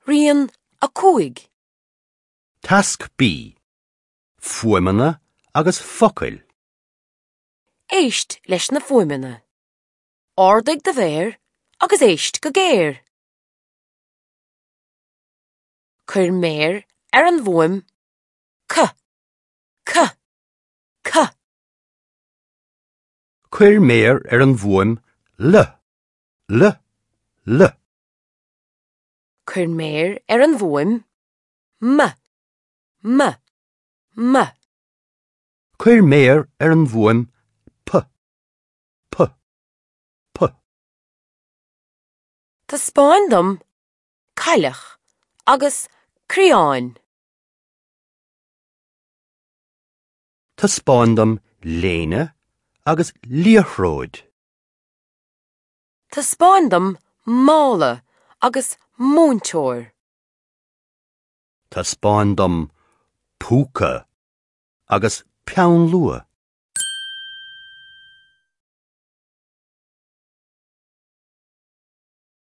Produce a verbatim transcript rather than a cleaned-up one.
Rian a cúig. Tasc B. Fuaimeanna agus focail. Éist leis na fuaimeanna. Ardaigh do mhéar agus éist go géar. Cuir méar ar an bhfuaim C. C. C. Cuir méar ar an bhfuaim L. L. L. Cuir méar ar an bhfuaim M. M. M. Cuir méar ar an bhfuaim P. P. P. Taispeáin dom cailleach agus criáin. Taispeáin dom léine agus liathróid. Taispeáin dom mála agus múinteoir. Taispeáin dom púca agus peann luaidhe.